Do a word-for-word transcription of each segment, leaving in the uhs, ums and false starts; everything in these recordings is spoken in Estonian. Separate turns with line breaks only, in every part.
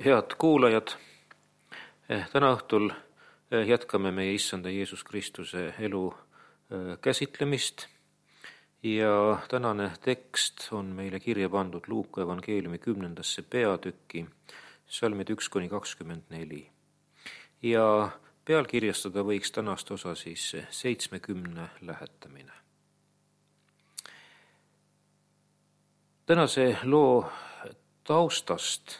Head kuulajad, täna õhtul jätkame meie Issanda Jeesus Kristuse elu käsitlemist ja tänane tekst on meile kirja pandud Luuka evangeeliumi kümnendasse peatükki, salmid üks kuni kakskümmend neli. Ja pealkirjastada võiks tänast osa siis seitsmekümne lähetamine. Tänase loo taustast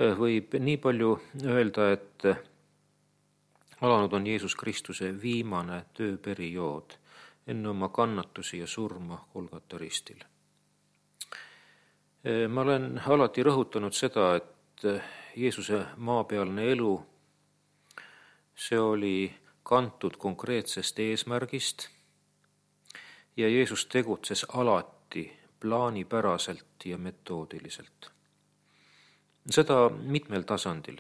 võib nii palju öelda, et alanud on Jeesus Kristuse viimane tööperiood enne oma kannatusi ja surma Golgata ristil. Ma olen alati rõhutanud seda, et Jeesuse maapealne elu, see oli kantud konkreetsest eesmärgist ja Jeesus tegutses alati plaanipäraselt ja metoodiliselt. Seda mitmel tasandil.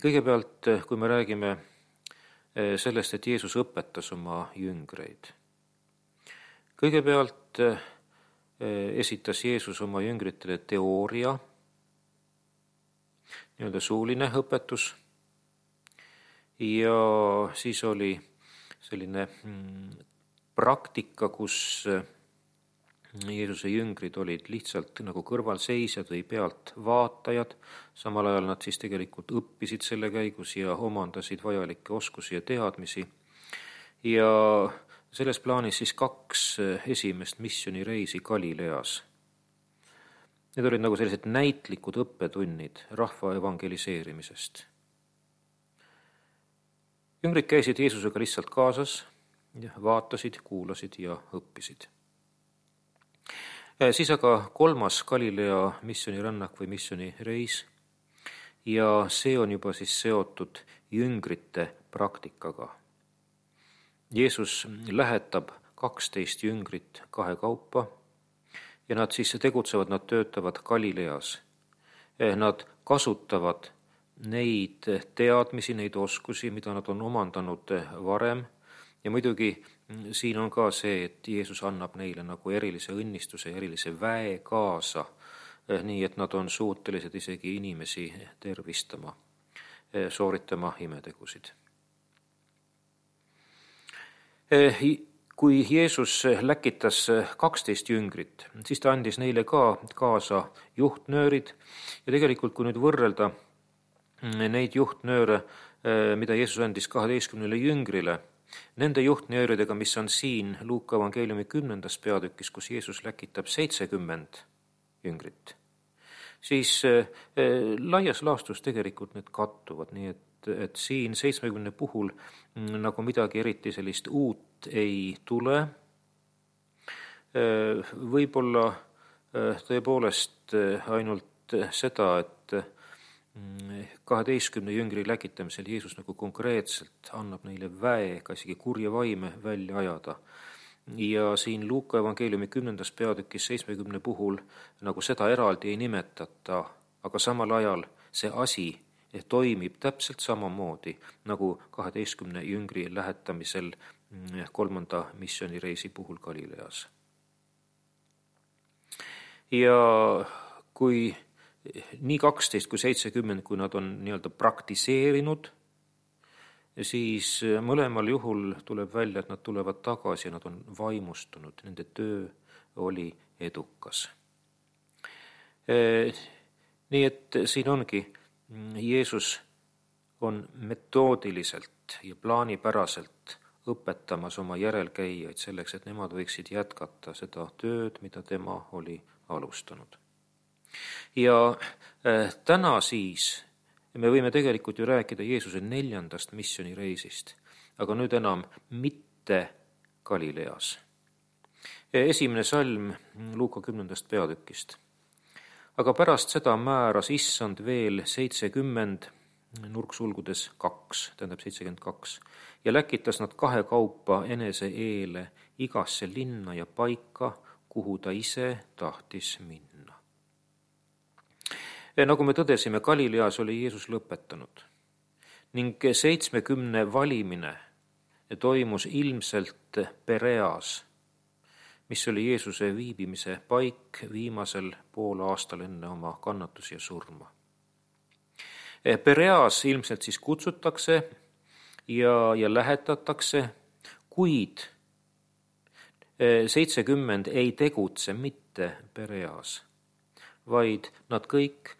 Kõigepealt, kui me räägime sellest, et Jeesus õpetas oma jüngreid. Kõigepealt esitas Jeesus oma jüngritele teooria, nii-öelda suuline õpetus, ja siis oli selline praktika, kus Jeesuse jüngrid olid lihtsalt nagu kõrvalseisjad või pealt vaatajad, samal ajal nad siis tegelikult õppisid selle käigus ja omandasid vajalikke oskusi ja teadmisi. Ja selles plaanis siis kaks esimest missioonireisi Galileas. Need olid nagu sellised näitlikud õppetunnid rahva evangeliseerimisest. Jüngrid käisid Jeesusega lihtsalt kaasas, vaatasid, kuulasid ja õppisid. Siis aga kolmas Galilea missioonirännak või missioonireis ja see on juba siis seotud jüngrite praktikaga. Jeesus lähetab kaksteist jüngrit kahe kaupa ja nad siis tegutsevad, nad töötavad Galileas. Nad kasutavad neid teadmisi, neid oskusi, mida nad on omandanud varem. Ja muidugi siin on ka see, et Jeesus annab neile nagu erilise õnnistuse, erilise väe kaasa, nii et nad on suutelised isegi inimesi tervistama, sooritama imetegusid. Kui Jeesus läkitas kaksteist jüngrit, siis ta andis neile ka kaasa juhtnöörid ja tegelikult kui nüüd võrrelda neid juhtnööre, mida Jeesus andis kaheteistkümnele jüngrile, nende juhtnööridega, mis on siin Luuka evangeeliumi kümnendas peatükis, kus Jeesus läkitab seitsekümmend jüngrit, siis laias laastus tegelikult need kattuvad, nii et, et siin seitsmekümne puhul nagu midagi eriti sellist uut ei tule. Võib-olla tõepoolest ainult seda, et kaheteistkümne jüngri läkitamisel Jeesus nagu konkreetselt annab neile väe, ka isegi kurja vaime välja ajada. Ja siin Luuka evangeeliumi kümnendas peatükis seitsmekümne puhul nagu seda eraldi ei nimetata, aga samal ajal see asi toimib täpselt samamoodi nagu kaheteistkümne jüngri lähetamisel kolmanda missioonireisi puhul Galileas. Ja kui nii kaksteist kui seitsekümmend, kui nad on nii-öelda praktiseerinud, siis mõlemal juhul tuleb välja, et nad tulevad tagasi ja nad on vaimustunud. Nende töö oli edukas. Nii et siin ongi, Jeesus on metoodiliselt ja plaanipäraselt õpetamas oma järelkäijaid selleks, et nemad võiksid jätkata seda tööd, mida tema oli alustanud. Ja täna siis me võime tegelikult ju rääkida Jeesuse neljandast missioonireisist, aga nüüd enam mitte Galileas. Esimene salm Luuka kümnendast peatükist. Aga pärast seda määras Issand veel seitsekümmend, nurksulgudes kaks, tähendab seitsekümmend kaks, ja läkitas nad kahe kaupa enese eele igasse linna ja paika, kuhu ta ise tahtis minna. Nagu me tõdesime, Galileas oli Jeesus lõpetanud ning seitsmekümne valimine toimus ilmselt Pereas, mis oli Jeesuse viibimise paik viimasel pool aastal enne oma kannatusi ja surma. Pereas ilmselt siis kutsutakse ja, ja lähetatakse, kuid seitsekümmend ei tegutse mitte Pereas, vaid nad kõik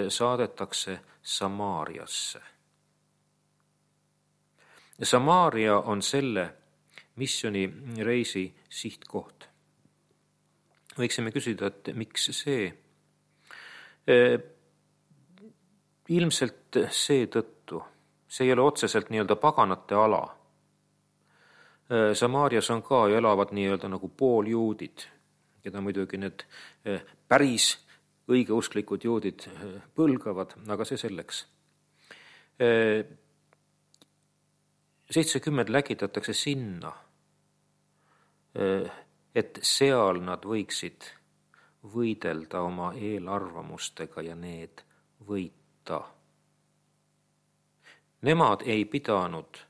saadetakse Samaariasse. Samaaria on selle missioonireisi sihtkoht. Võiksime küsida, et miks see? Ilmselt seetõttu, see ei ole otseselt nii-öelda paganate ala. Samaarias on ka ju elavad nii-öelda nagu pooljuudid, keda muidugi need päris õigeusklikud juudid põlgavad, aga see selleks. seitsekümmend läkitatakse sinna, et seal nad võiksid võidelda oma eelarvamustega ja need võita. Nemad ei pidanud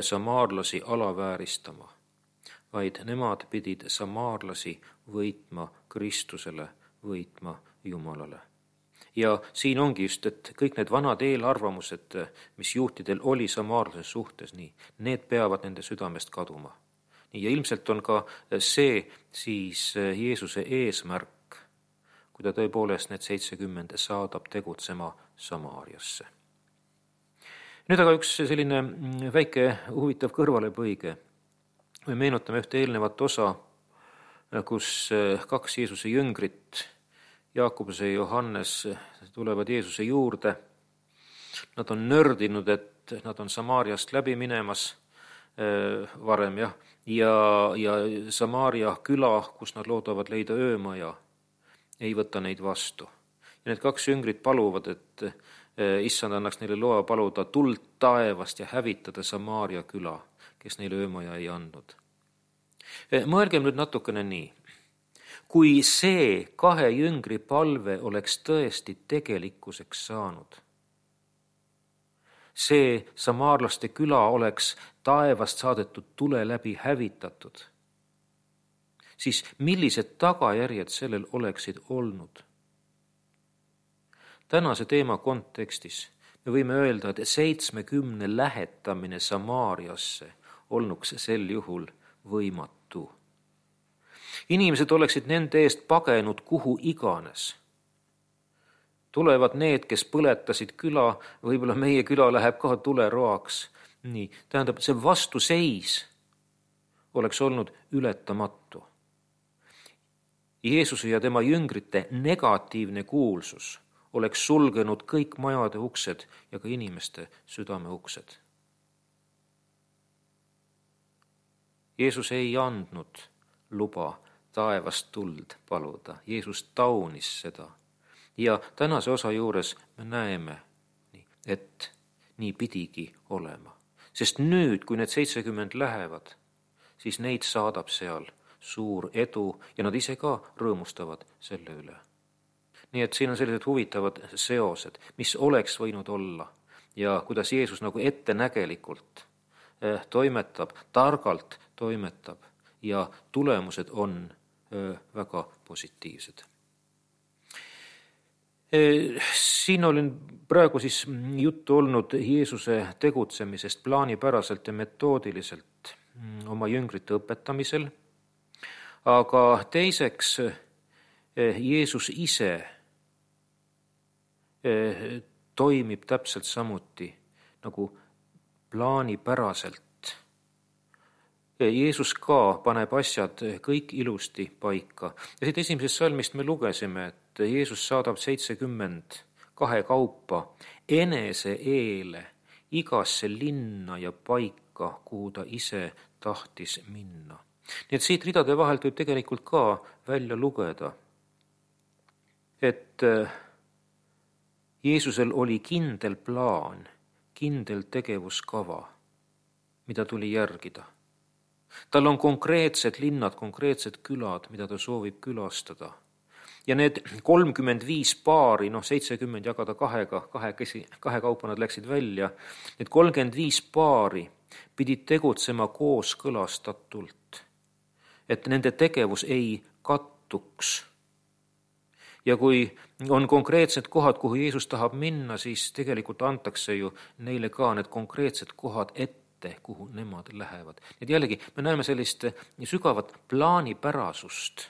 samaarlasi alavääristama, vaid nemad pidid samaarlasi võitma Kristusele, võitma Jumalale. Ja siin ongi just, et kõik need vanad eelarvamused, mis juhtidel oli samaarlase suhtes, nii, need peavad nende südamest kaduma. Nii, ja ilmselt on ka see siis Jeesuse eesmärk, kui ta tõepoolest need seitsekümmend saadab tegutsema Samaariasse. Nüüd aga üks selline väike huvitav kõrvalepõige. Me meenutame ühte eelnevat osa, kus kaks Jeesuse jüngrit, Jaakobus ja Johannes, tulevad Jeesuse juurde. Nad on nördinud, et nad on Samaariast läbi minemas varem, jah, ja, ja Samaaria küla, kus nad loodavad leida öömaja, ei võta neid vastu. Ja need kaks jüngrit paluvad, et issand annaks neile loa paluda tuld taevast ja hävitada Samaaria küla, kes neile öömaja ei andnud. Mõelgem nüüd natukene nii. Kui see kahe jüngri palve oleks tõesti tegelikkuseks saanud, see samaarlaste küla oleks taevast saadetud tule läbi hävitatud, siis millised tagajärjed sellel oleksid olnud? Tänase teema kontekstis me võime öelda, et seitsmekümne lähetamine Samaariasse olnuks sel juhul võimatu. Inimesed oleksid nende eest pagenud kuhu iganes. Tulevad need, kes põletasid küla, võib-olla meie küla läheb ka tuleroaks. Nii, tähendab, see vastuseis oleks olnud ületamatu. Jeesuse ja tema jüngrite negatiivne kuulsus oleks sulgenud kõik majade uksed ja ka inimeste südame uksed. Jeesus ei andnud luba taevast tuld paluda. Jeesus taunis seda. Ja tänase osa juures me näeme, et nii pidigi olema. Sest nüüd, kui need seitsekümmend lähevad, siis neid saadab seal suur edu ja nad ise ka rõõmustavad selle üle. Nii et siin on sellised huvitavad seosed, mis oleks võinud olla ja kuidas Jeesus nagu ettenägelikult toimetab, targalt toimetab ja tulemused on väga positiivsed. Siin olin praegu siis juttu olnud Jeesuse tegutsemisest plaanipäraselt ja metoodiliselt oma jüngrite õpetamisel, aga teiseks Jeesus ise toimib täpselt samuti nagu plaanipäraselt. Jeesus ka paneb asjad kõik ilusti paika. Ja siit esimesest salmist me lugesime, et Jeesus saadab seitsekümmend kahe kaupa enese eele igasse linna ja paika, kuhu ta ise tahtis minna. Nii et siit ridade vahelt võib tegelikult ka välja lugeda, et Jeesusel oli kindel plaan, kindel tegevuskava, mida tuli järgida. Tal on konkreetsed linnad, konkreetsed külad, mida ta soovib külastada. Ja need kolmkümmend viis paari, noh seitsekümmend jagada kahega, kahe, kesi, kahe kaupa nad läksid välja, need kolmkümmend viis paari pidid tegutsema kooskõlastatult, et nende tegevus ei kattuks. Ja kui on konkreetsed kohad, kuhu Jeesus tahab minna, siis tegelikult antakse ju neile ka need konkreetsed kohad ette, kuhu nemad lähevad. Et jällegi me näeme sellist sügavat plaanipärasust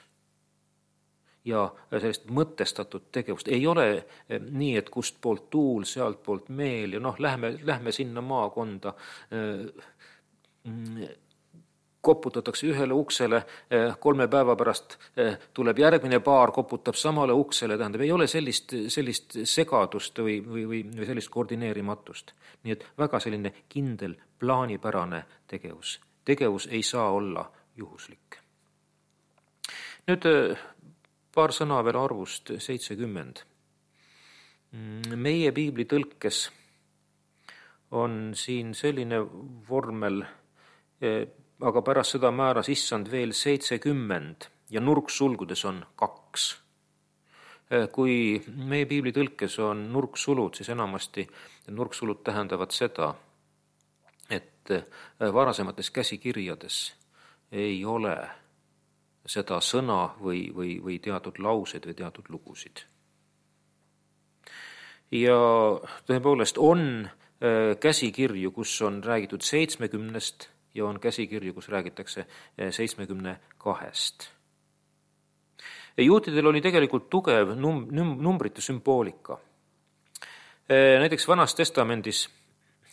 ja sellist mõtestatud tegevust. Ei ole nii, et kust poolt tuul, sealt poolt meel ja noh, lähme, lähme sinna maakonda, koputatakse ühele uksele, kolme päeva pärast tuleb järgmine paar, koputab samale uksele, tähendab, ei ole sellist, sellist segadust või, või, või, või sellist koordineerimatust. Nii et väga selline kindel plaanipärane tegevus. Tegevus ei saa olla juhuslik. Nüüd paar sõna veel arvust seitsekümmend. Meie piibli tõlkes on siin selline vormel, aga pärast seda määras issand veel seitsekümmend ja nurksulgudes on kaks. Kui meie piibli tõlkes on nurksulud, siis enamasti nurksulud tähendavad seda, et varasemates käsikirjades ei ole seda sõna või, või, või teatud laused või teatud lugusid. Ja tõepoolest on käsikirju, kus on räägitud seitsmekümnest ja on käsikirju, kus räägitakse seitsmekümne kahest. Juutidel oli tegelikult tugev num- numbrite sümboolika. Näiteks Vanas Testamendis,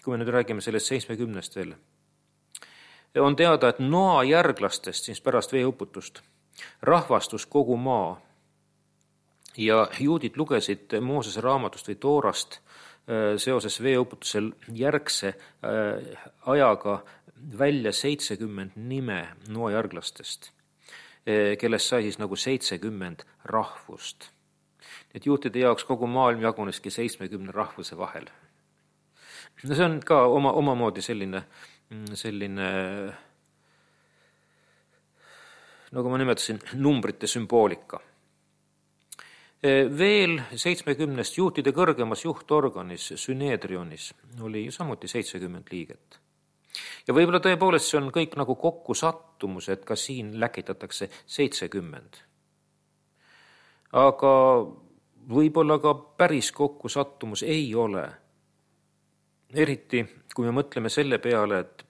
kui me nüüd räägime sellest seitsmekümnest veel, on teada, et Noa järglastest, siis pärast veeuputust, rahvastus kogu maa. Ja juudid lugesid Moosese raamatust või Toorast seoses veeuputusel järgse ajaga välja seitsekümmend nime Noa järglastest, kellest sai siis nagu seitsekümmend rahvust. Et juutide jaoks kogu maailm jaguneski seitsmekümne rahvuse vahel. No see on ka oma, omamoodi selline selline, nagu ma nimetasin, numbrite sümboolika. Veel seitsmekümnest juutide kõrgemas juhtorganis, Süneedrionis, oli samuti seitsekümmend liiget. Ja võib-olla tõepoolest see on kõik nagu kokku sattumus, et ka siin läkitatakse seitsekümmend. Aga võib-olla ka päris kokku sattumus ei ole. Eriti, kui me mõtleme selle peale, et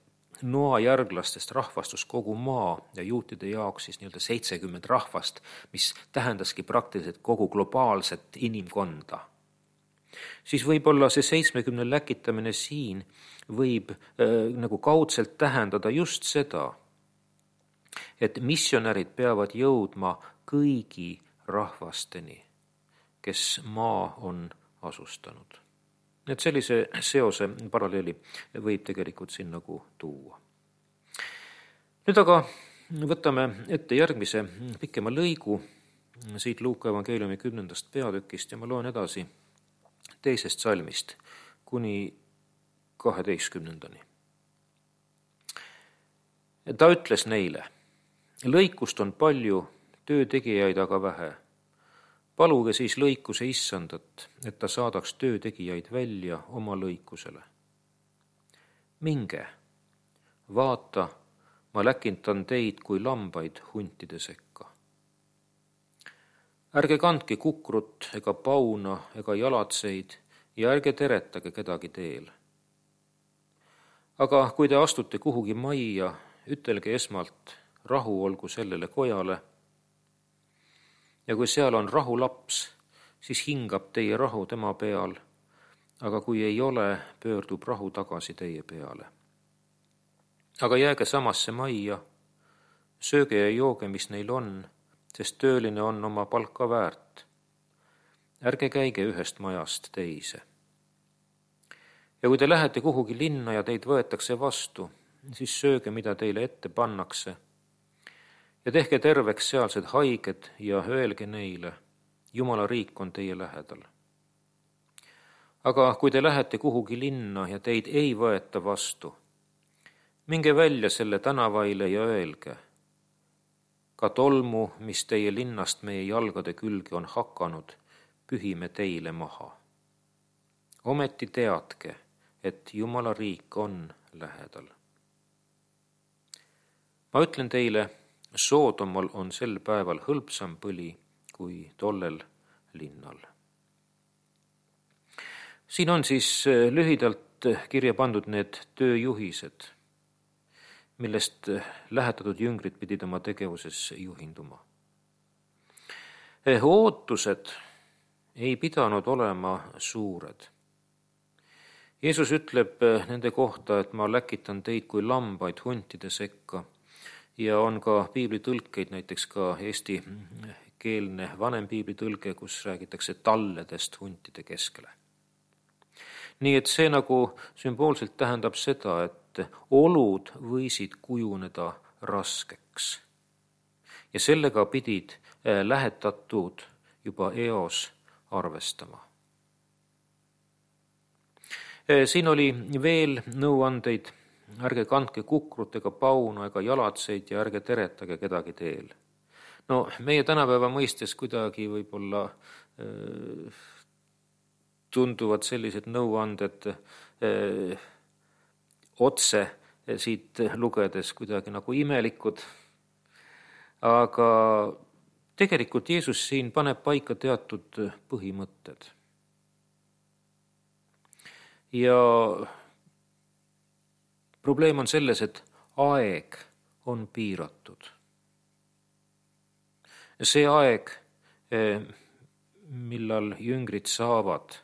Noa järglastest rahvastus kogu maa ja juutide jaoks siis nii-öelda seitsekümmend rahvast, mis tähendaski praktiliselt kogu globaalset inimkonda. Siis võib-olla see seitsmekümne läkitamine siin võib äh, nagu kaudselt tähendada just seda, et missionärid peavad jõudma kõigi rahvasteni, kes maa on asustanud. Et sellise seose paralleeli võib tegelikult siin nagu tuua. Nüüd aga võtame ette järgmise pikema lõigu siit Luuka evangeeliumi kümnendast peatükist ja ma loen edasi teisest salmist kuni kaheteistkümnendani. Ta ütles neile, lõikust on palju, töötegijaid aga vähe. Paluge siis lõikuse issandat, et ta saadaks töötegijaid välja oma lõikusele. Minge, vaata, ma läkintan teid kui lambaid huntide sekka. Ärge kandke kukrut ega pauna ega jalatseid ja ärge teretage kedagi teel. Aga kui te astute kuhugi majja, ütelge esmalt, rahu olgu sellele kojale, ja kui seal on rahulaps, siis hingab teie rahu tema peal, aga kui ei ole, pöördub rahu tagasi teie peale. Aga jääge samasse majja, sööge ja jooge, mis neil on, sest tööline on oma palka väärt. Ärge käige ühest majast teise. Ja kui te lähete kuhugi linna ja teid võetakse vastu, siis sööge, mida teile ette pannakse, ja tehke terveks sealsed haiged ja öelge neile, Jumala riik on teie lähedal. Aga kui te lähete kuhugi linna ja teid ei võeta vastu, minge välja selle tänavaile ja öelge, ka tolmu, mis teie linnast meie jalgade külge on hakanud, pühime teile maha. Ometi teadke, et Jumala riik on lähedal. Ma ütlen teile, Soodomal on sel päeval hõlpsam põli kui tollel linnal. Siin on siis lühidalt kirja pandud need tööjuhised, millest lähetatud jüngrid pidid oma tegevuses juhinduma. Ootused ei pidanud olema suured. Jeesus ütleb nende kohta, et ma läkitan teid kui lambaid huntide sekka, ja on ka piiblitõlkeid, näiteks ka eesti keelne vanem piiblitõlge, kus räägitakse talledest huntide keskele. Nii et see nagu sümboolselt tähendab seda, et olud võisid kujuneda raskeks. Ja sellega pidid lähetatud juba eos arvestama. Siin oli veel nõuandeid: ärge kandke kukrut ega pauna ega jalatseid ja ärge teretage kedagi teel. No meie tänapäeva mõistes kuidagi võib-olla öö, tunduvad sellised nõuanded öö, otse siit lugedes kuidagi nagu imelikud, aga tegelikult Jeesus siin paneb paika teatud põhimõtted. Ja probleem on selles, et aeg on piiratud. See aeg, millal jüngrid saavad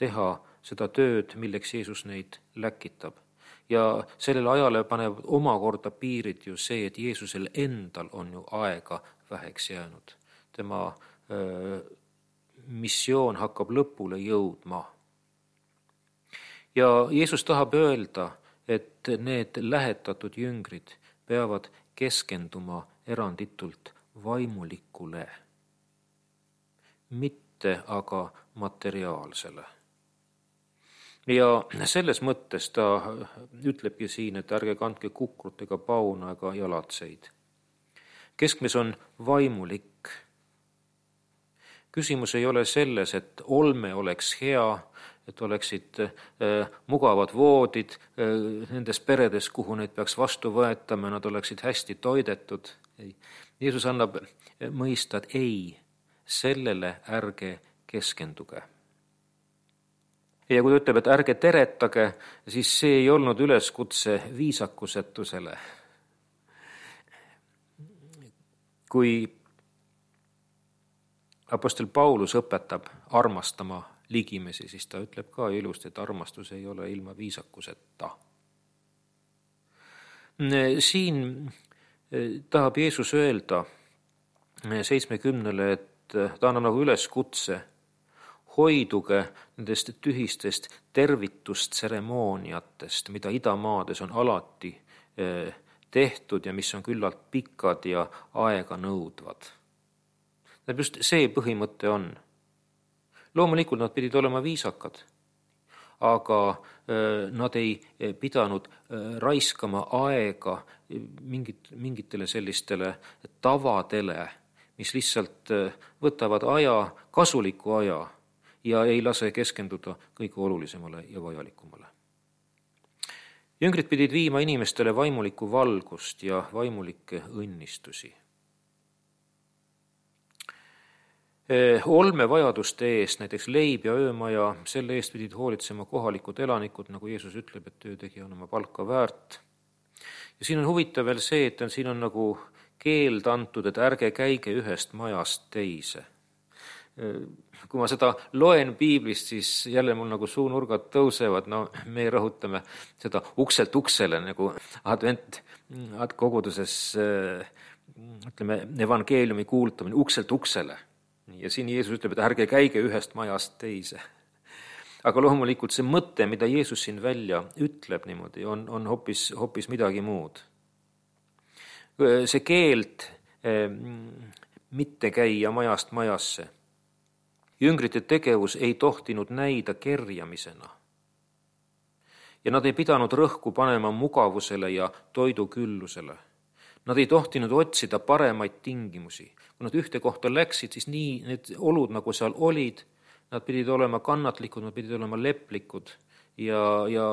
teha seda tööd, milleks Jeesus neid läkitab. Ja sellele ajale paneb omakorda piirid ju see, et Jeesusel endal on ju aega väheks jäänud. Tema öö, missioon hakkab lõpule jõudma. Ja Jeesus tahab öelda, et need lähetatud jüngrid peavad keskenduma eranditult vaimulikule, mitte aga materiaalsele. Ja selles mõttes ta ütlebki siin, et ärge kandke kukrut ega pauna ega jalatseid. Keskmes on vaimulik. Küsimus ei ole selles, et olme oleks hea, et oleksid äh, mugavad voodid äh, nendes peredes, kuhu neid peaks vastu võetama, nad oleksid hästi toidetud. Ei. Jeesus annab mõista, et ei, sellele ärge keskenduge. Ja kui ta ütleb, et ärge teretage, siis see ei olnud üleskutse viisakusetusele. Kui apostel Paulus õpetab armastama ligimesi, siis ta ütleb ka ilusti, et armastus ei ole ilma viisakuseta. Siin tahab Jeesus öelda seitsmekümnele, et ta annab nagu üleskutse: hoiduge nendest tühistest tervitustseremooniatest, mida idamaades on alati tehtud ja mis on küllalt pikad ja aega nõudvad. Just see põhimõte on. Loomulikult nad pidid olema viisakad, aga nad ei pidanud raiskama aega mingit, mingitele sellistele tavadele, mis lihtsalt võtavad aja, kasuliku aja, ja ei lase keskenduda kõige olulisemale ja vajalikumale. Jüngrid pidid viima inimestele vaimulikku valgust ja vaimulikke õnnistusi. Olmevajaduste eest, näiteks leib ja öömaja, selle eest pidid hoolitsema kohalikud elanikud, nagu Jeesus ütleb, et töötegija on oma palka väärt. Ja siin on huvitav veel see, et on, siin on nagu keeld antud, et ärge käige ühest majast teise. Kui ma seda loen piiblist, siis jälle mul nagu suunurgad tõusevad, no me rõhutame seda ukselt uksele, nagu advent koguduses, ütleme, evangeeliumi kuulutamine ukselt uksele. Ja siin Jeesus ütleb, et ärge käige ühest majast teise. Aga loomulikult see mõte, mida Jeesus siin välja ütleb niimoodi, on, on hoopis, hoopis midagi muud. See keeld mitte käia majast majasse. Jüngrite tegevus ei tohtinud näida kerjamisena. Ja nad ei pidanud rõhku panema mugavusele ja toiduküllusele. Nad ei tohtinud otsida paremaid tingimusi. Kui nad ühte kohta läksid, siis nii need olud, nagu seal olid, nad pidid olema kannatlikud, nad pidid olema leplikud ja, ja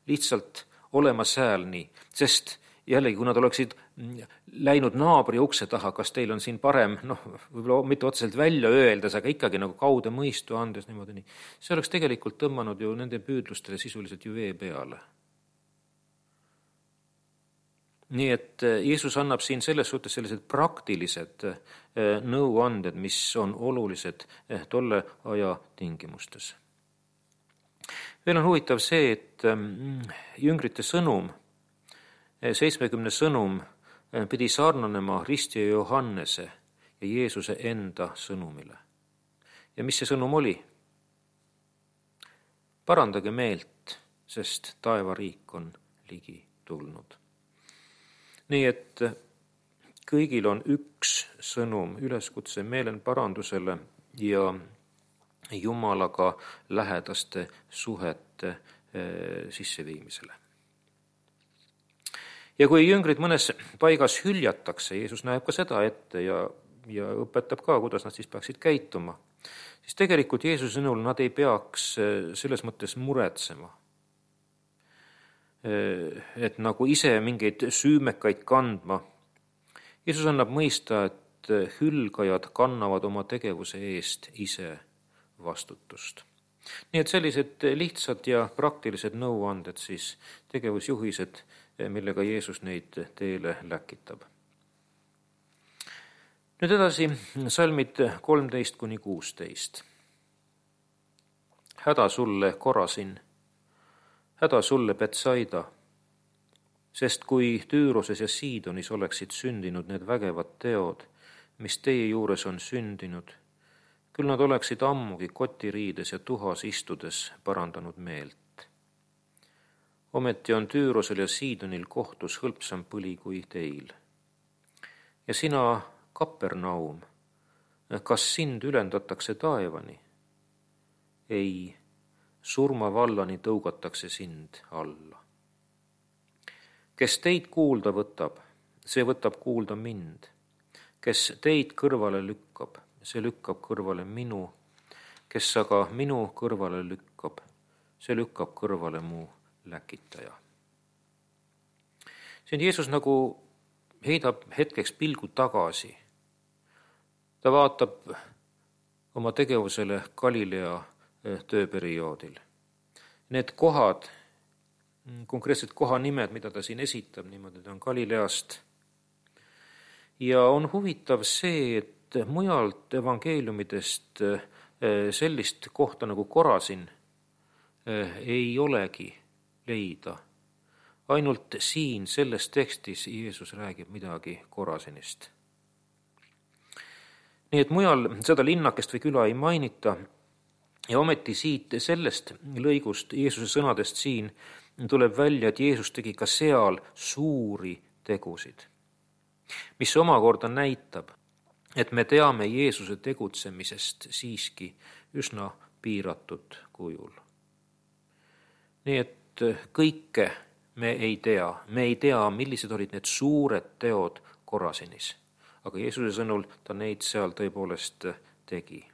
lihtsalt olema sääl nii. Sest jällegi, kui nad oleksid läinud naabri ukse taha, kas teil on siin parem, noh, võib-olla mitte otseselt välja öeldes, aga ikkagi nagu kaude mõistu andes niimoodi nii. See oleks tegelikult tõmmanud ju nende püüdlustele sisuliselt ju vee peale. Nii et Jeesus annab siin selles suhtes sellised praktilised nõuanded, mis on olulised tolle aja tingimustes. Veel on huvitav see, et jüngrite sõnum, seitsmekümne sõnum pidi sarnanema Risti ja Johannese ja Jeesuse enda sõnumile. Ja mis see sõnum oli? Parandage meelt, sest taevariik on ligi tulnud. Nii et kõigil on üks sõnum, üleskutse meelenparandusele ja Jumalaga lähedaste suhete sisseviimisele. Ja kui jüngrid mõnes paigas hüljatakse, Jeesus näeb ka seda ette ja, ja õpetab ka, kuidas nad siis peaksid käituma, siis tegelikult Jeesuse sõnul nad ei peaks selles mõttes muretsema. Et nagu ise mingeid süümekaid kandma. Jeesus annab mõista, et hülgajad kannavad oma tegevuse eest ise vastutust. Nii et sellised lihtsad ja praktilised nõuanded, siis tegevusjuhised, millega Jeesus neid teele läkitab. Nüüd edasi salmid kolmteist kuni kuusteist. Häda sulle, Korasin, häda sulle, Betsaida, sest kui Tüüroses ja Siidonis oleksid sündinud need vägevad teod, mis teie juures on sündinud, küll nad oleksid ammugi kotiriides ja tuhas istudes parandanud meelt. Ometi on Tüürosel ja Siidonil kohtus hõlpsam põli kui teil. Ja sina, Kapernaum, kas sind ülendatakse taevani? Ei, surmavallani tõugatakse sind alla. Kes teid kuulda võtab, see võtab kuulda mind. Kes teid kõrvale lükkab, see lükkab kõrvale minu. Kes aga minu kõrvale lükkab, see lükkab kõrvale mu läkitaja. Siin Jeesus nagu heidab hetkeks pilgu tagasi. Ta vaatab oma tegevusele Galilea tööperioodil. Need kohad, konkreetsed kohanimed, mida ta siin esitab, niimoodi ta on Galileast. Ja on huvitav see, et mujalt evangeeliumidest sellist kohta nagu Korasin ei olegi leida. Ainult siin selles tekstis Jeesus räägib midagi Korasinist. Nii et mujal seda linnakest või küla ei mainita. Ja ometi siit sellest lõigust, Jeesuse sõnadest siin, tuleb välja, et Jeesus tegi ka seal suuri tegusid, mis omakorda näitab, et me teame Jeesuse tegutsemisest siiski üsna piiratud kujul. Nii et kõike me ei tea. Me ei tea, millised olid need suured teod Korasinis, aga Jeesuse sõnul ta neid seal tõepoolest tegi.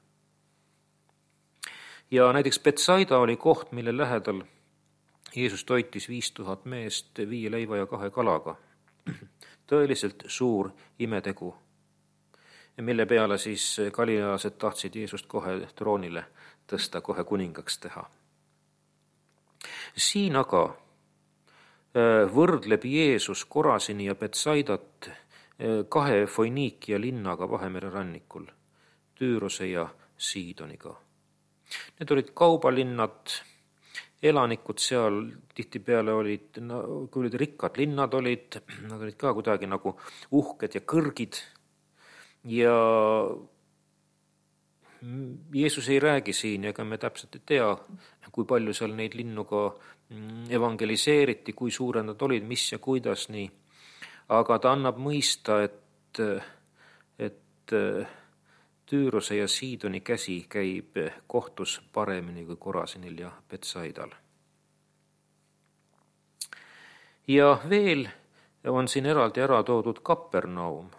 Ja näiteks Betsaida oli koht, mille lähedal Jeesus toitis viis tuhat meest viie leiva ja kahe kalaga. Tõeliselt suur imetegu, mille peale siis galileased tahtsid Jeesust kohe troonile tõsta, kohe kuningaks teha. Siin aga võrdleb Jeesus Korasini ja Betsaidat kahe Foiniikia linnaga Vahemere rannikul, Tüürose ja Siidoniga. Need olid kaubalinnad, elanikud seal tihtipeale olid, no, kui olid rikkad linnad olid, nad olid ka kuidagi nagu uhked ja kõrgid. Ja Jeesus ei räägi siin, ega me täpselt ei tea, kui palju seal neid linnu ka evangeliseeriti, kui suured nad olid, mis ja kuidas nii. Aga ta annab mõista, et, et Tüürose ja Siidoni käsi käib kohtus paremini kui Korasinil ja Betsaidal. Ja veel on siin eraldi ära toodud Kapernaum.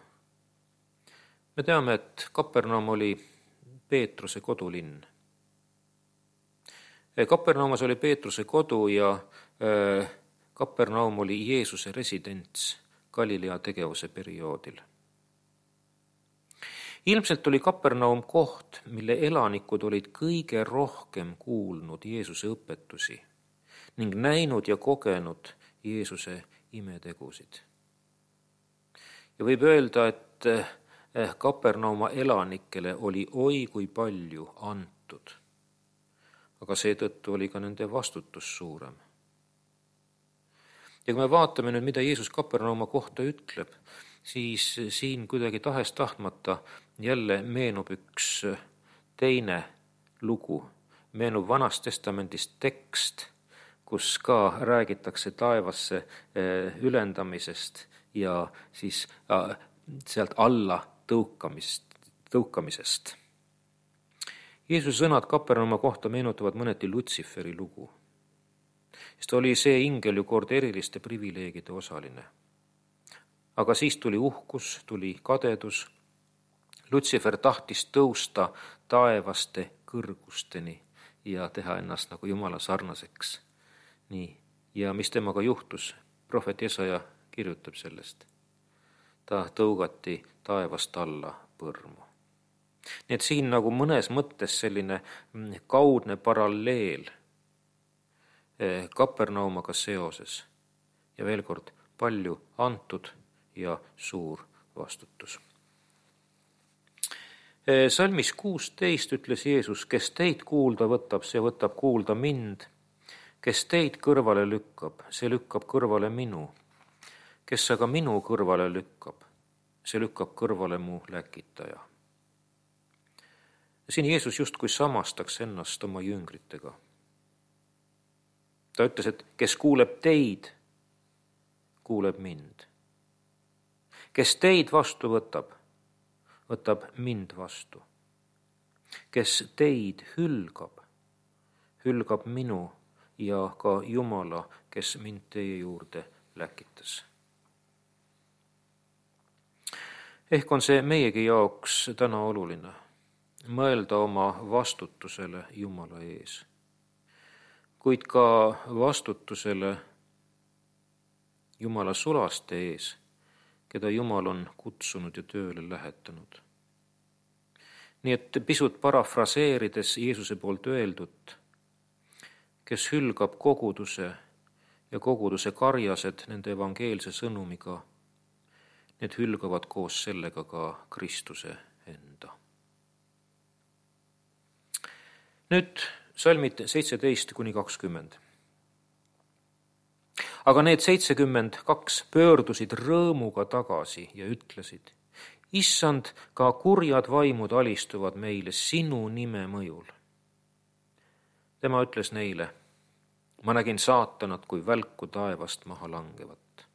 Me teame, et Kapernaum oli Peetruse kodulinn. Kapernaumas oli Peetruse kodu ja Kapernaum oli Jeesuse residents Galilea tegevuse perioodil. Ilmselt oli Kapernaum koht, mille elanikud olid kõige rohkem kuulnud Jeesuse õpetusi ning näinud ja kogenud Jeesuse imetegusid. Ja võib öelda, et Kapernauma elanikele oli oi kui palju antud, aga seetõttu oli ka nende vastutus suurem. Ja kui me vaatame nüüd, mida Jeesus Kapernauma kohta ütleb, siis siin kuidagi tahes tahtmata jälle meenub üks teine lugu, meenub Vanast Testamendist tekst, kus ka räägitakse taevasse ülendamisest ja siis sealt alla tõukamist, tõukamisest. Jeesuse sõnad Kapernauma kohta meenutavad mõneti Lutsiferi lugu, sest oli see ingel ju kord eriliste privileegide osaline. Aga siis tuli uhkus, tuli kadedus. Lutsifer tahtis tõusta taevaste kõrgusteni ja teha ennast nagu Jumala sarnaseks. Nii. Ja mis temaga juhtus? Prohvet Jesaja kirjutab sellest. Ta tõugati taevast alla põrmu. Nii et siin nagu mõnes mõttes selline kaudne paralleel Kapernaumaga seoses. Ja veel kord, palju antud ja suur vastutus. Salmis kuusteist ütles Jeesus, kes teid kuulda võtab, see võtab kuulda mind. Kes teid kõrvale lükkab, see lükkab kõrvale minu. Kes aga minu kõrvale lükkab, see lükkab kõrvale mu läkitaja. Siin Jeesus justkui samastaks ennast oma jüngritega. Ta ütles, et kes kuuleb teid, kuuleb mind. Kes teid vastu võtab, võtab mind vastu. Kes teid hülgab, hülgab minu ja ka Jumala, kes mind teie juurde läkitas. Ehk on see meiegi jaoks täna oluline mõelda oma vastutusele Jumala ees, kuid ka vastutusele Jumala sulaste ees, keda Jumal on kutsunud ja tööle lähetanud. Nii et pisut parafraseerides Jeesuse poolt öeldut, kes hülgab koguduse ja koguduse karjased nende evangeelse sõnumiga, need hülgavad koos sellega ka Kristuse enda. Nüüd salmid seitseteist kuni kakskümmend. Aga need seitsekümmend kaks pöördusid rõõmuga tagasi ja ütlesid, Issand, ka kurjad vaimud alistuvad meile sinu nime mõjul. Tema ütles neile, ma nägin saatanat kui välku taevast maha langevat.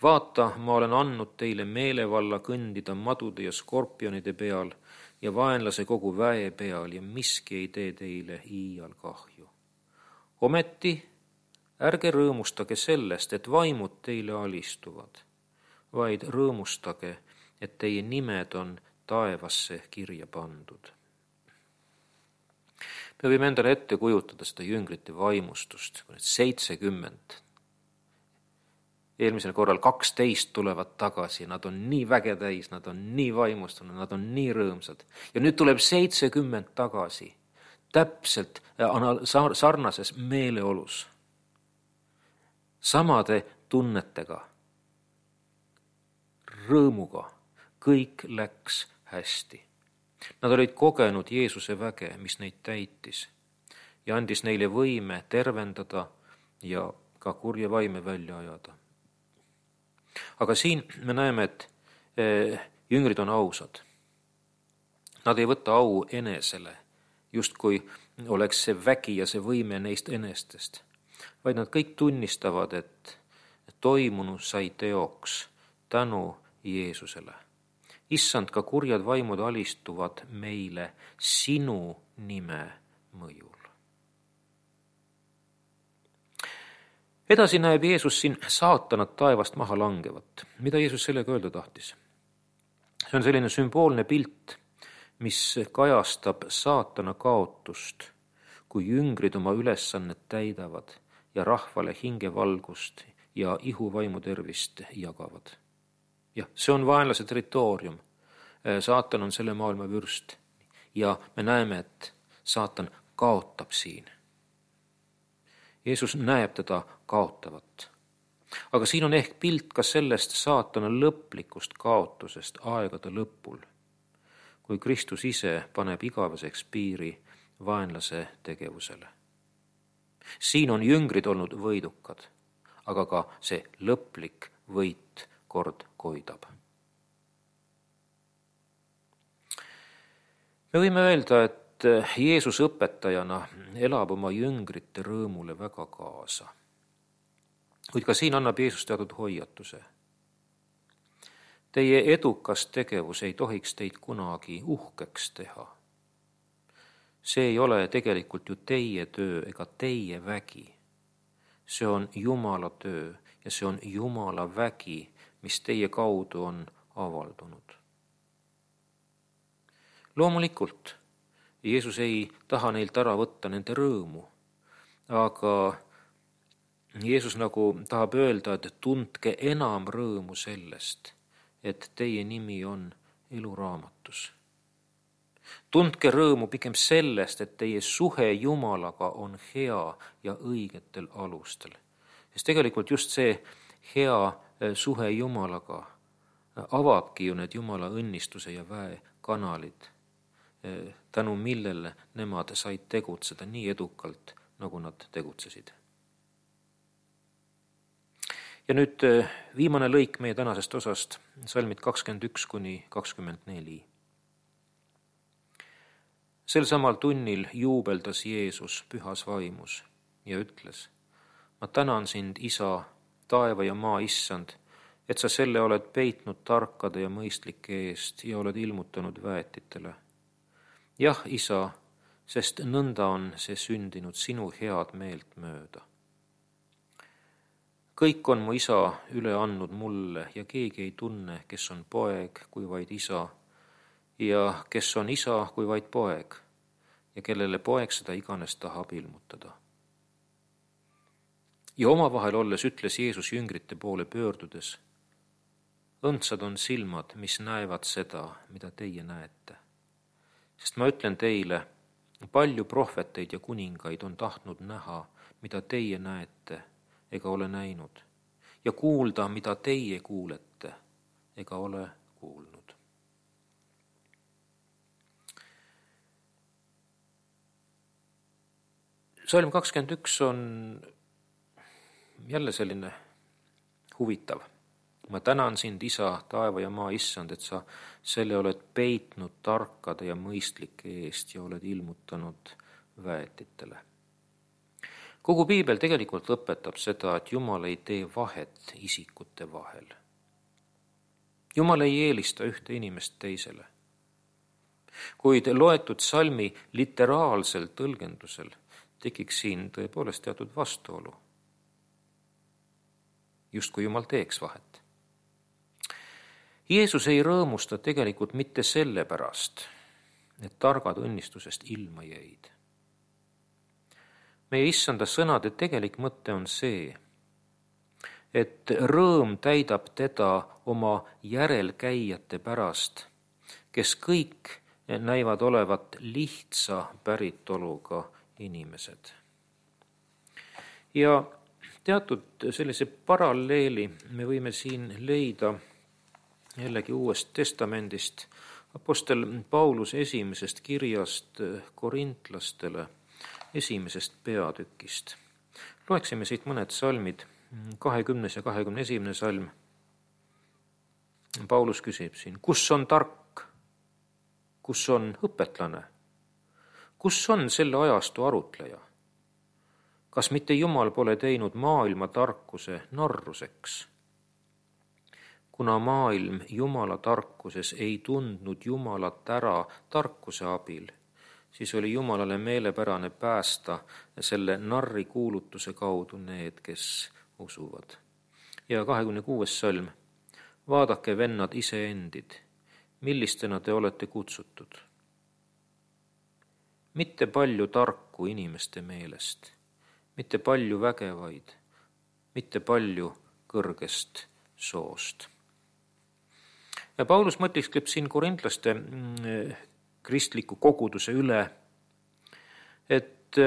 Vaata, ma olen andnud teile meelevalla kõndida madude ja skorpionide peal ja vaenlase kogu väe peal ja miski ei tee teile iial kahju. Ometi ärge rõõmustage sellest, et vaimud teile alistuvad, vaid rõõmustage, et teie nimed on taevasse kirja pandud. Me võime endale ette kujutada seda jüngrite vaimustust, kui need seitsekümmend. Eelmisel korral kaksteist tulevad tagasi, nad on nii väge täis, nad on nii vaimustunud, nad on nii rõõmsad. Ja nüüd tuleb seitsekümmend tagasi, täpselt sarnases meeleolus, samade tunnetega, rõõmuga, kõik läks hästi. Nad olid kogenud Jeesuse väge, mis neid täitis ja andis neile võime tervendada ja ka kurje vaime välja ajada. Aga siin me näeme, et jüngrid on ausad. Nad ei võta au enesele, justkui oleks see vägi ja see võime neist enestest, vaid nad kõik tunnistavad, et toimunu sai teoks tänu Jeesusele. Issand, ka kurjad vaimud alistuvad meile sinu nime mõjul. Edasi näeb Jeesus siin saatanat taevast maha langevat. Mida Jeesus sellega öelda tahtis? See on selline sümboolne pilt, mis kajastab saatana kaotust, kui jüngrid oma ülesannet täidavad ja rahvale hingevalgust ja ihuvaimu tervist jagavad. jah, see on vaenlase territoorium. Saatan on selle maailma vürst ja me näeme, et saatan kaotab siin. Jeesus näeb teda kaotavat. Aga siin on ehk pilt ka sellest saatana lõplikust kaotusest aegade lõpul, kui Kristus ise paneb igaveseks piiri vaenlase tegevusele. Siin on jüngrid olnud võidukad, aga ka see lõplik võit kord koidab. Me võime öelda, et Jeesus õpetajana elab oma jüngrite rõõmule väga kaasa. Kuid ka siin annab Jeesus teatud hoiatuse. Teie edukas tegevus ei tohiks teid kunagi uhkeks teha. See ei ole tegelikult ju teie töö ega teie vägi. See on Jumala töö ja see on Jumala vägi, mis teie kaudu on avaldunud. Loomulikult Jeesus ei taha neilt ära võtta nende rõõmu, aga Jeesus nagu tahab öelda, et tundke enam rõõmu sellest, et teie nimi on eluraamatus. Tundke rõõmu pigem sellest, et teie suhe Jumalaga on hea ja õigetel alustel. Sest tegelikult just see hea suhe Jumalaga avabki ju need Jumala õnnistuse ja väe kanalid, tänu millele nemad said tegutseda nii edukalt, nagu nad tegutsesid. Ja nüüd viimane lõik meie tänasest osast, salmid kakskümmend üks kuni kakskümmend neli. Sel samal tunnil juubeldas Jeesus pühas vaimus ja ütles, ma tänan sind, Isa, taeva ja maa issand, et sa selle oled peitnud tarkade ja mõistlike eest ja oled ilmutanud väetitele. Jah, Isa, sest nõnda on see sündinud sinu head meelt mööda. Kõik on mu Isa üle andnud mulle ja keegi ei tunne, kes on poeg kui vaid Isa ja kes on Isa kui vaid poeg ja kellele poeg seda iganes tahab ilmutada. Ja omavahel olles ütles Jeesus jüngrite poole pöördudes, õndsad on silmad, mis näevad seda, mida teie näete. Sest ma ütlen teile, palju prohveteid ja kuningaid on tahtnud näha, mida teie näete ega ole näinud, ja kuulda, mida teie kuulete ega ole kuulnud. Salm kakskümmend üks on jälle selline huvitav. Ma tänan sind, Isa, taeva ja maa issand, et sa selle oled peitnud tarkade ja mõistlike eest ja oled ilmutanud väetitele. Kogu piibel tegelikult õpetab seda, et Jumal ei tee vahet isikute vahel. Jumal ei eelista ühte inimest teisele. Kuid loetud salmi literaalsel tõlgendusel tekiks siin tõepoolest teatud vastuolu. Just kui Jumal teeks vahet. Jeesus ei rõõmusta tegelikult mitte selle pärast, et targad õnnistusest ilma jäid. Meie issanda sõnade tegelik mõte on see, et rõõm täidab teda oma järelkäijate pärast, kes kõik näivad olevat lihtsa päritoluga inimesed. Ja teatud sellise paralleeli me võime siin leida jällegi Uuest Testamendist, apostel Paulus esimesest kirjast korintlastele, esimesest peatükist. Loeksime siit mõned salmid, kahekümnes ja kahekümne esimene salm. Paulus küsib siin, kus on tark, kus on õpetlane, kus on selle ajastu arutleja? Kas mitte Jumal pole teinud maailma tarkuse narruseks? Kuna maailm Jumala tarkuses ei tundnud Jumalat ära tarkuse abil, siis oli Jumalale meelepärane päästa selle narri kuulutuse kaudu need, kes usuvad. Ja kahekümne kuues salm. Vaadake, vennad, iseendid, millistena te olete kutsutud. Mitte palju tarku inimeste meelest, mitte palju vägevaid, mitte palju kõrgest soost. Ja Paulus mõtiskleb siin korintlaste kristliku koguduse üle, et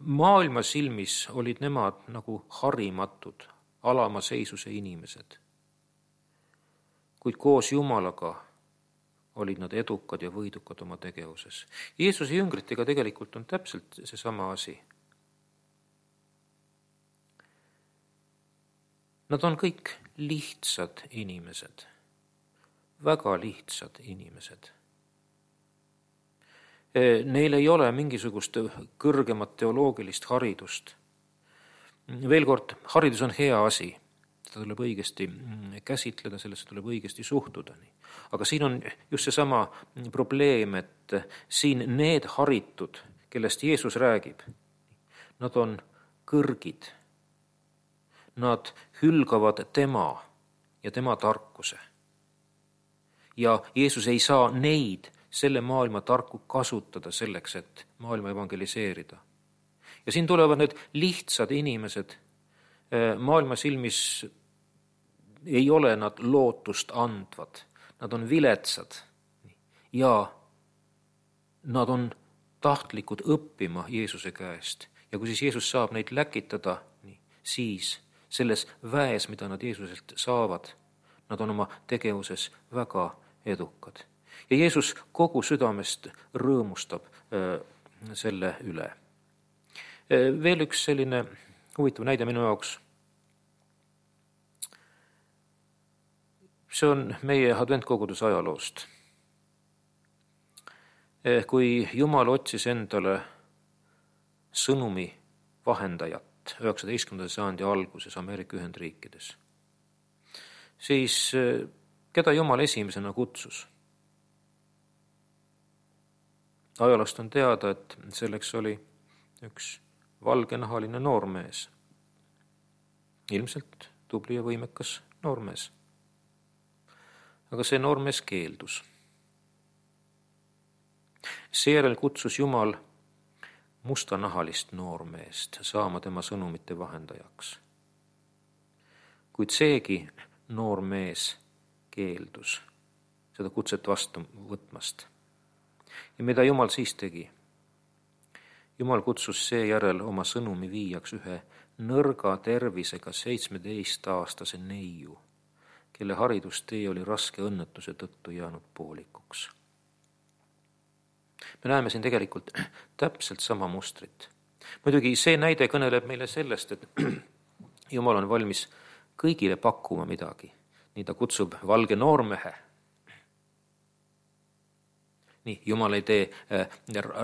maailma silmis olid nemad nagu harimatud, alama seisuse inimesed. Kuid koos Jumalaga olid nad edukad ja võidukad oma tegevuses. Jeesuse jüngritega tegelikult on täpselt seesama asi. Nad on kõik lihtsad inimesed, väga lihtsad inimesed. Neil ei ole mingisugust kõrgemat teoloogilist haridust. Veel kord, haridus on hea asi, seda tuleb õigesti käsitleda, sellesse tuleb õigesti suhtuda. Aga siin on just seesama probleem, et siin need haritud, kellest Jeesus räägib, nad on kõrgid. Nad hülgavad tema ja tema tarkuse. Ja Jeesus ei saa neid selle maailma tarku kasutada selleks, et maailma evangeliseerida. Ja siin tulevad need lihtsad inimesed. Maailma silmis ei ole nad lootust andvad. Nad on viletsad ja nad on tahtlikud õppima Jeesuse käest. Ja kui siis Jeesus saab neid läkitada, siis selles väes, mida nad Jeesuselt saavad, nad on oma tegevuses väga edukad. Ja Jeesus kogu südamest rõõmustab selle üle. Veel üks selline huvitav näide minu jaoks. See on meie adventkoguduse ajaloost. Kui Jumal otsis endale sõnumi vahendajat üheksateistkümnenda sajandi alguses Ameerika Ühendriikides, siis keda Jumal esimesena kutsus? Ajaloost on teada, et selleks oli üks valgenahaline noormees. Ilmselt tubli ja võimekas noormees. Aga see noormees keeldus. Seejärel kutsus Jumal mustanahalist noormeest saama tema sõnumite vahendajaks. Kuid seegi noormees keeldus seda kutset vastu võtmast. Ja mida Jumal siis tegi? Jumal kutsus seejärel oma sõnumi viijaks ühe nõrga tervisega seitsmeteistaastase neiu, kelle haridustee oli raske õnnetuse tõttu jäänud poolikuks. Me näeme siin tegelikult täpselt sama mustrit. Muidugi see näide kõneleb meile sellest, et Jumal on valmis kõigile pakkuma midagi. Nii ta kutsub valge noormehe. Nii, Jumal ei tee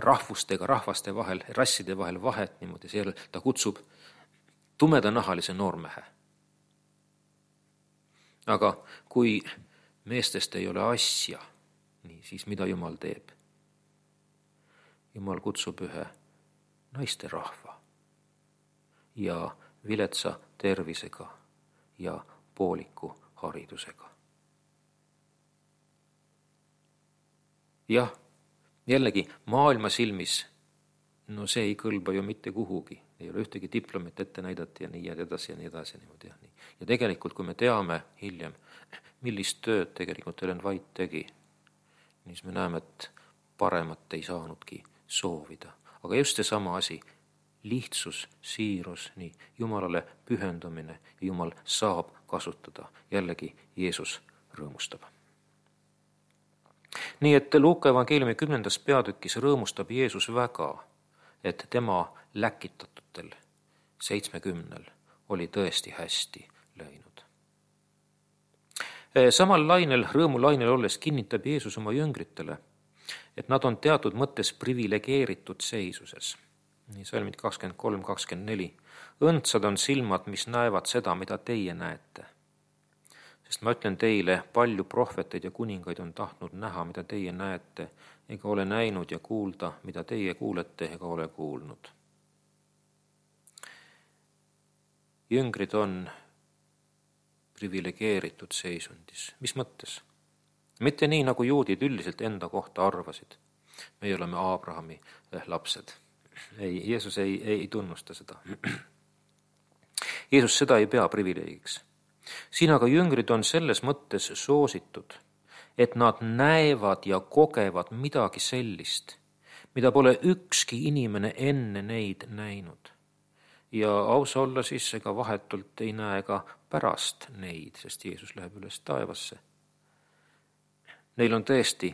rahvustega, rahvaste vahel, rasside vahel vahet niimoodi. Seejärel ta kutsub tumedanahalise noormehe. Aga kui meestest ei ole asja, nii, siis mida Jumal teeb? Jumal kutsub ühe naiste rahva ja viletsa tervisega ja pooliku haridusega. Jah, jällegi maailma silmis, no see ei kõlba ju mitte kuhugi. Ei ole ühtegi diplomit ette näidata ja nii edasi ja nii edasi. Ja, nii. ja tegelikult, kui me teame hiljem, millist tööd tegelikult Ellen White tegi, siis me näeme, et paremat ei saanudki soovida. Aga just see sama asi, lihtsus, siirus, nii, Jumalale pühendumine ja Jumal saab kasutada. Jällegi Jeesus rõõmustab. Nii et Luuka evangeeliumi kümnendas peatükis rõõmustab Jeesus väga, et tema läkitatutel seitsmekümnel oli tõesti hästi läinud. Samal lainel, rõõmulainel olles kinnitab Jeesus oma jüngritele, et nad on teatud mõttes privilegeeritud seisuses. Nii salmid kakskümmend kolm kakskümmend neli. Õndsad on silmad, mis näevad seda, mida teie näete. Sest ma ütlen teile, palju prohveteid ja kuningaid on tahtnud näha, mida teie näete, ega ole näinud ja kuulda, mida teie kuulete, ega ole kuulnud. Jüngrid on privilegeeritud seisundis. Mis mõttes? Mitte nii, nagu juudid üldiselt enda kohta arvasid. Me oleme Abrahami lapsed. Ei, Jeesus ei, ei tunnusta seda. Jeesus seda ei pea privileegiks. Siin aga jüngrid on selles mõttes soositud, et nad näevad ja kogevad midagi sellist, mida pole ükski inimene enne neid näinud. Ja ausa olla siis ega vahetult ei näe ka pärast neid, sest Jeesus läheb üles taevasse. Neil on tõesti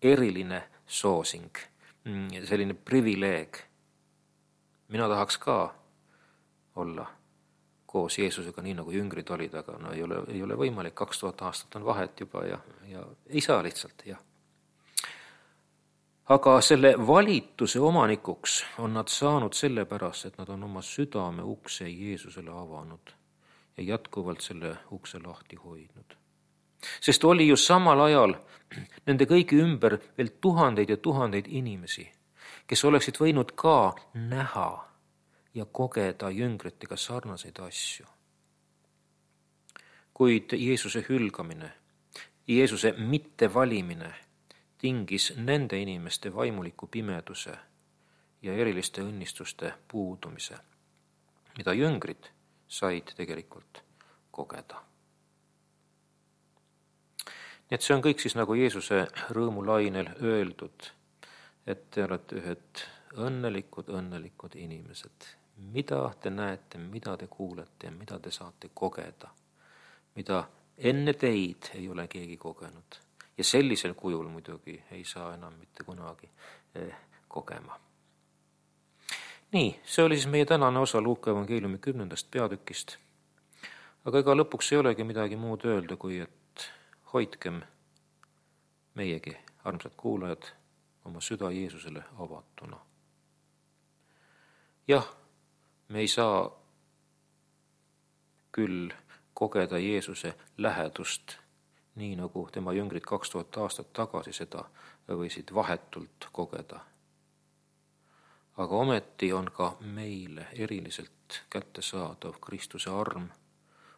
eriline soosing, selline privileeg. Mina tahaks ka olla koos Jeesusega nii, nagu jüngrid olid, aga no ei ole, ei ole võimalik, kaks tuhat aastat on vahet juba ja, ja ei saa lihtsalt, jah. Aga selle valituse omanikuks on nad saanud sellepärast, et nad on oma südame ukse Jeesusele avanud ja jätkuvalt selle ukse lahti hoidnud. Sest oli ju samal ajal nende kõigi ümber veel tuhandeid ja tuhandeid inimesi, kes oleksid võinud ka näha ja kogeda jüngritega sarnaseid asju. Kuid Jeesuse hülgamine, Jeesuse mittevalimine tingis nende inimeste vaimuliku pimeduse ja eriliste õnnistuste puudumise, mida jüngrid said tegelikult kogeda. Nii et see on kõik siis nagu Jeesuse rõõmulainel öeldud, et te olete ühed õnnelikud, õnnelikud inimesed. Mida te näete, mida te kuulete ja mida te saate kogeda, mida enne teid ei ole keegi kogenud. Ja sellisel kujul muidugi ei saa enam mitte kunagi eh, kogema. Nii, see oli siis meie tänane osa Luuka evangeeliumi kümnendast peatükist. Aga ega lõpuks ei olegi midagi muud öelda, kui et hoidkem meiegi, armsad kuulajad, oma süda Jeesusele avatuna. Jah, me ei saa küll kogeda Jeesuse lähedust, nii nagu tema jüngrid kaks tuhat aastat tagasi seda võisid vahetult kogeda. Aga ometi on ka meile eriliselt kättesaadav Kristuse arm,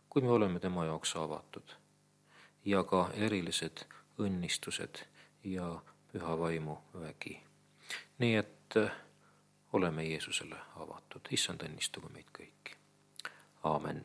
kui me oleme tema jaoks avatud, ja ka erilised õnnistused ja püha vaimu vägi. Nii et oleme Jeesusele avatud. Issand õnnistugu meid kõiki. Aamen.